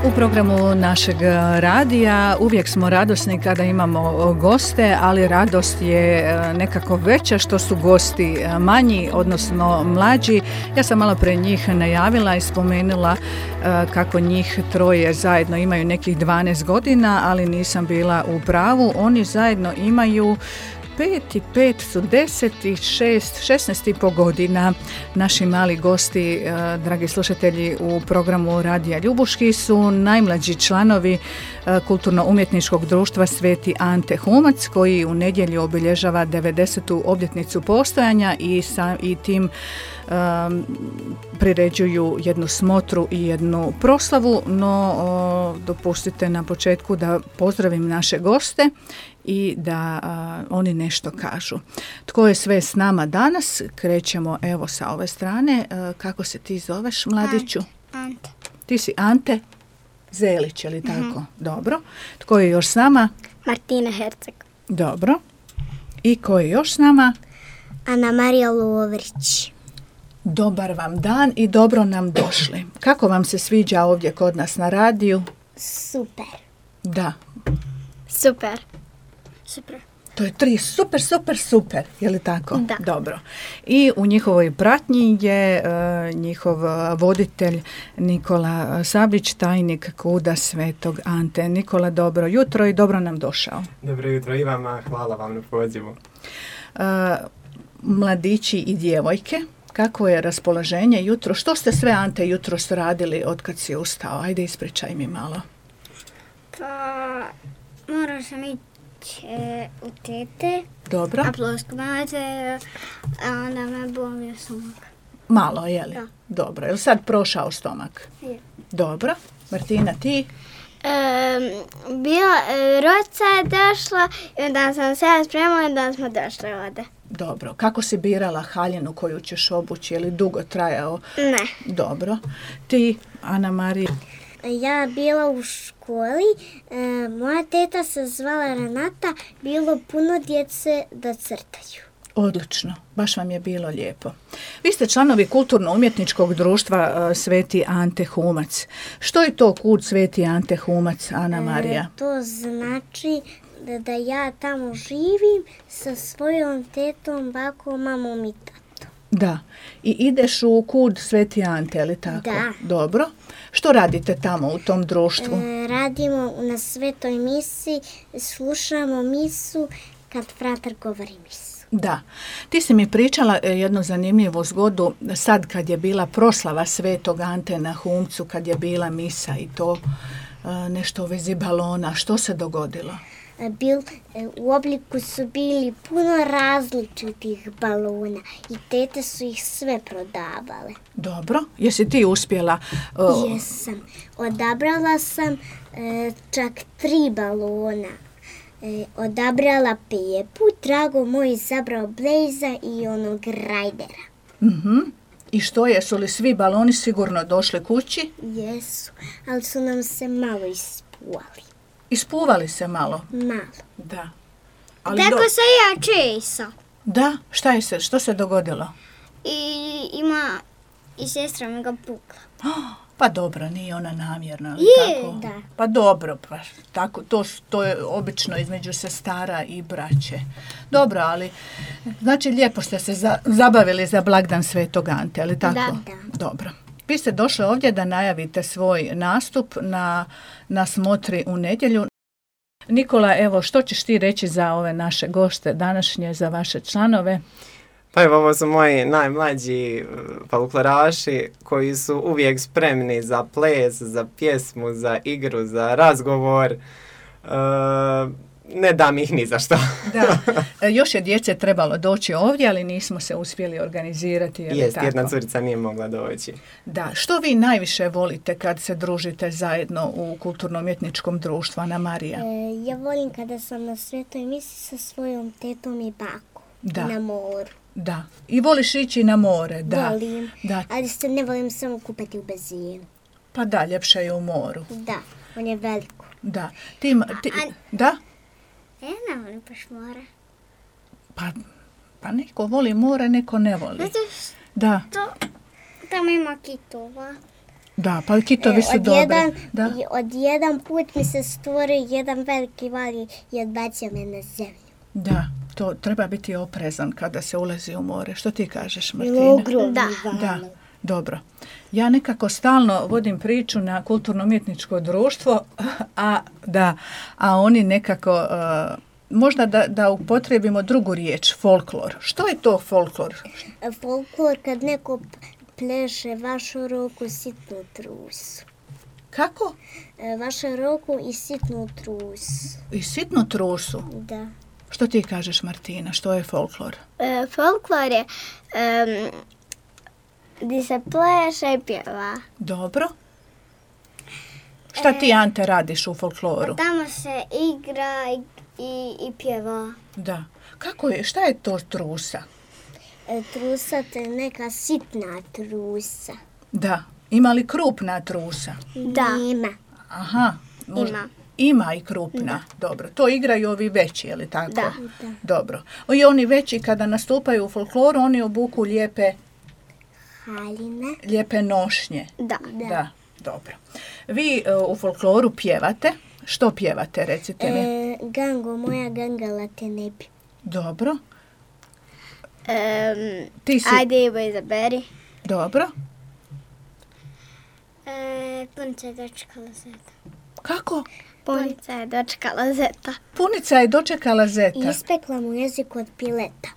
U programu našeg radija uvijek smo radosni kada imamo goste, ali radost je nekako veća što su gosti manji, odnosno mlađi. Ja sam malo pre njih najavila i spomenula kako njih troje zajedno imaju nekih 12 godina, ali nisam bila u pravu. Oni zajedno imaju 5 i 5 su 10 i 16,5 godina. Naši mali gosti, dragi slušatelji, u programu Radija Ljubuški su najmlađi članovi Kulturno-umjetničkog društva Sveti Ante Humac, koji u nedjelju obilježava 90. obljetnicu postojanja i tim priređuju jednu smotru i jednu proslavu, no dopustite na početku da pozdravim naše goste i da oni nešto kažu. Tko je sve s nama danas? Krećemo evo sa ove strane. Kako se ti zoveš, mladiću? Ante. Ti si Ante Zelić, je li tako? Dobro. Tko je još s nama? Martina Herceg. Dobro. I ko je još s nama? Ana Marija Lovrić. Dobar vam dan i dobro nam došli. Kako vam se sviđa ovdje kod nas na radiju? Super. Da. Super. Super. To je 3 super, je li tako? Da. Dobro. I u njihovoj pratnji je njihov voditelj Nikola Sablić, tajnik KUD-a Svetog Ante. Nikola, dobro jutro i dobro nam došao. Dobro jutro i vama, hvala vam na pozivu. Mladići i djevojke, kako je raspoloženje jutro? Što ste sve, Ante, jutros radili od kad si ustao? Ajde, ispričaj mi malo. Pa, morao sam ići u tete. Dobro. A plosku mate, a onda me bolio stomak. Malo, je li? Da. Dobro. Je li sad prošao stomak? Je. Dobro. Martina, ti? Roca je došla i onda sam se ja spremala i onda smo došli ovdje. Dobro. Kako si birala haljinu koju ćeš obući? Je li dugo trajao? Ne. Dobro. Ti, Ana Marija? Ja bila u školi, moja teta se zvala Renata, bilo puno djece da crtaju. Odlično, baš vam je bilo lijepo. Vi ste članovi Kulturno-umjetničkog društva Sveti Ante Humac. Što je to KUD Sveti Ante Humac, Ana Marija? To znači da ja tamo živim sa svojom tetom, bakom, mamom i tatom. Da, i ideš u KUD Sveti Ante, je li tako? Da. Dobro. Što radite tamo u tom društvu? Radimo na svetoj misi, slušamo misu kad fratar govori misu. Da. Ti si mi pričala jednu zanimljivu zgodu sad kad je bila proslava Svetog Ante na Humcu, kad je bila misa i to nešto u vezi balona. Što se dogodilo? U obliku su bili puno različitih balona i tete su ih sve prodavale. Dobro. Jesi ti uspjela? Jesam. Odabrala sam čak 3 balona. Odabrala Pepu, Drago moj izabrao Blejza i onog Rajdera. I što, jesu li svi baloni sigurno došli kući? Jesu, ali su nam se malo ispuvali. Ispuvali se malo? Malo. Da. Tako se ja česa. Da? Što se dogodilo? I sestra mi ga pukla. Pa dobro, nije ona namjerno. Je, da. Pa dobro, pa tako, to je obično između sestara i braće. Dobro, ali znači lijepo ste se zabavili za blagdan Svetog Ante, ali tako? Da. Dobro. Vi ste došli ovdje da najavite svoj nastup na smotri u nedjelju. Nikola, evo, što ćeš ti reći za ove naše goste današnje, za vaše članove? Pa evo, ovo su moji najmlađi folkloraši koji su uvijek spremni za ples, za pjesmu, za igru, za razgovor. Ne dam ih ni za što. Da, još je djece trebalo doći ovdje, ali nismo se uspjeli organizirati. Jedna curica nije mogla doći. Da, što vi najviše volite kad se družite zajedno u Kulturno-umjetničkom društvu, Ana Marija? Ja volim kada sam na svetoj misi sa svojom tetom i bakom. Da. Na moru. Da, i voliš ići na more, da. Volim, da. Ali se ne volim samo kupati u bazenu. Pa da, ljepše je u moru. Da, on je veliko. Da. Da? Ja ne volim baš more. Pa neko voli more, neko ne voli. Zato da. Tamo ima kitova. Da, pa kitovi su dobri. Da. Od jedan put mi se stvori jedan veliki val i odbacio me na zemlju. Da, to treba biti oprezan kada se ulazi u more. Što ti kažeš, Martina? Da, dobro. Ja nekako stalno vodim priču na kulturno-umjetničko društvo, a oni nekako, možda da upotrijebimo drugu riječ, folklor. Što je to folklor? Folklor kad neko pleše vašu ruku sitnu trusu. Kako? Vašu ruku i sitnu trusu. I sitnu trusu? Da. Što ti kažeš, Martina? Što je folklor? Folklor je gdje se pleše i pjeva. Dobro. Šta ti, Ante, radiš u folkloru? Tamo se igra i pjeva. Da. Kako je? Šta je to trusa? Trusa to je neka sitna trusa. Da. Ima li krupna trusa? Da. Ima. Aha. Ima i krupna. Dobro. To igraju ovi veći, je li tako? Da. Dobro. I oni veći kada nastupaju u folkloru, oni obuku lijepe haljine. Lijepe nošnje. Da. Dobro. Vi u folkloru pjevate. Što pjevate, recite mi? Gango moja, gangala te ne bi. Dobro. Ti si... Ajde, Ivo, izaberi. Dobro. Punica je dočekala zeta. Kako? Punica je dočekala zeta. Punica je dočekala zeta. Ispekla mu jezik od pileta.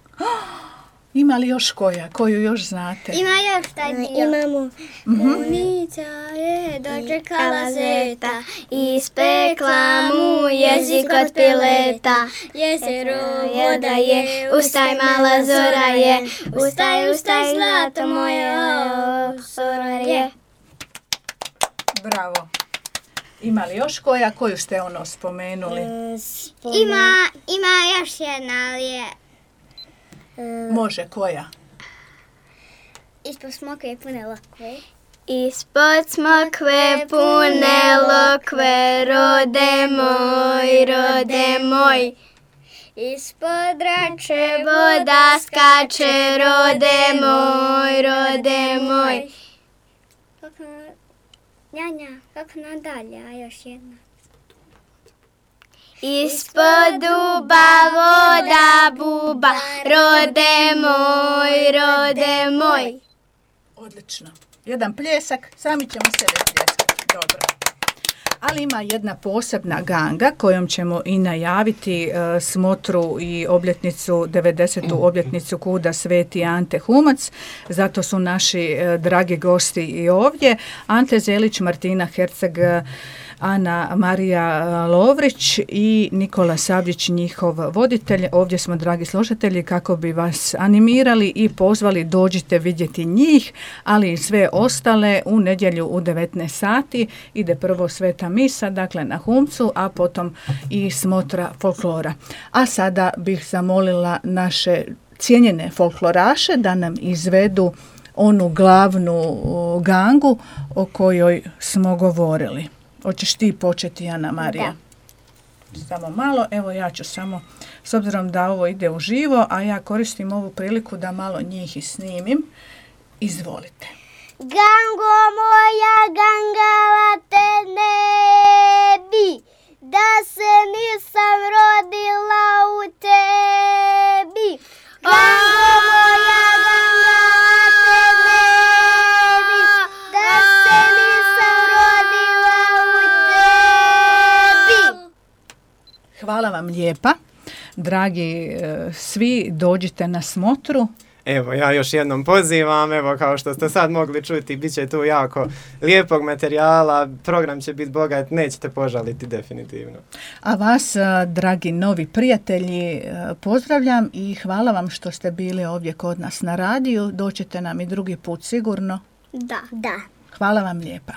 Ima li još koja? Koju još znate? Ima još taj dio. Imamo... Punica je dočekala zeta, ispekla mu jezik od pileta. Jezero voda je, ustaj mala zora je, ustaj zlato moje, zora je. Bravo. Ima li još koja? Koju ste spomenuli? Ima još jedna, ali je... Može, koja? Ispod smokve pune lokve. Ispod smokve pune lokve, rode moj. Ispod rače voda skače, rode moj. Kako nadalje, a još jedna. Ispod duba voda buba, rode moj. Odlično. Jedan pljesak, sami ćemo sebe pljeskati. Dobro. Ali ima jedna posebna ganga kojom ćemo i najaviti smotru i obljetnicu, 90. obljetnicu Kuda Sveti Ante Humac. Zato su naši dragi gosti i ovdje. Ante Zelić, Martina Herceg, Ana Marija Lovrić i Nikola Sabljić, njihov voditelj. Ovdje smo, dragi slušatelji, kako bi vas animirali i pozvali, dođite vidjeti njih, ali i sve ostale u nedjelju u 19 sati. Ide prvo sveta misa, dakle na Humcu, a potom i smotra folklora. A sada bih zamolila naše cijenjene folkloraše da nam izvedu onu glavnu gangu o kojoj smo govorili. Hoćeš ti početi, Ana Marija? Da. Samo malo, evo ja ću samo, s obzirom da ovo ide uživo, a ja koristim ovu priliku da malo njih i snimim. Izvolite. Gango moja, gangala te ne bi, da se nisam rodila u tebi. Gango moja, gangala te ne bi, da se nisam rodila u tebi. Hvala vam lijepa. Dragi svi, dođite na smotru. Evo, ja još jednom pozivam, evo kao što ste sad mogli čuti, bit će tu jako lijepog materijala, program će biti bogat, nećete požaliti definitivno. A vas, dragi novi prijatelji, pozdravljam i hvala vam što ste bili ovdje kod nas na radiju, doćete nam i drugi put sigurno. Da. Hvala vam lijepa.